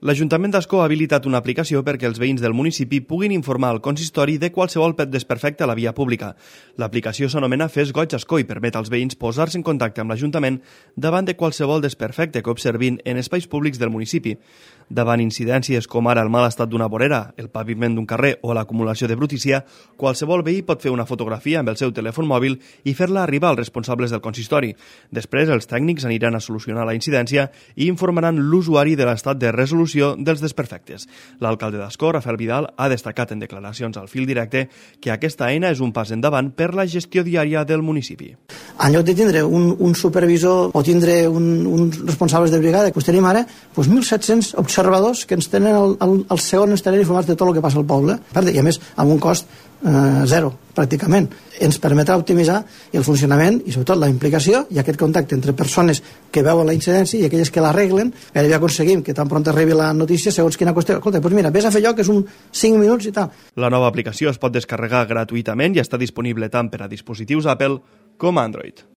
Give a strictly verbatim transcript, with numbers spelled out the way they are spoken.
L'Ajuntament d'Ascó ha habilitat una aplicació perquè els veïns del municipi puguin informar al consistori de qualsevol desperfecte a la via pública. L'aplicació s'anomena Fes Goig Ascó i permet als veïns posar-se en contacte amb l'Ajuntament davant de qualsevol desperfecte que observin en espais públics del municipi. Davant incidències com ara el mal estat d'una vorera, el paviment d'un carrer o l'acumulació de brutícia, qualsevol veí pot fer una fotografia amb el seu telèfon mòbil i fer-la arribar als responsables del consistori. Després, els tècnics aniran a solucionar la incidència i informaran l'usuari de l'estat de resolució dels desperfectes. L'alcalde d'Ascó, Rafael Vidal, ha destacat en declaracions al Fil Directe que aquesta eina és un pas endavant per la gestió diària del municipi. En lloc de tindre un, un supervisor o tindre un, uns responsables de brigada, doncs tenim ara doncs mil set-cents observadors que ens tenen el, el, el segon ens tenen informats de tot el que passa al poble, i a més amb un cost eh, zero, pràcticament. Ens permetrà optimitzar el funcionament i sobretot la implicació i aquest contacte entre persones que veuen la incidència i aquelles que l'arreglen. Gairebé aconseguim que tan pront arribi la notícia segons quina qüestió. Escolta, doncs mira, vés a fer allò que és un cinc minuts i tal. La nova aplicació es pot descarregar gratuïtament i està disponible tant per a dispositius Apple com Android.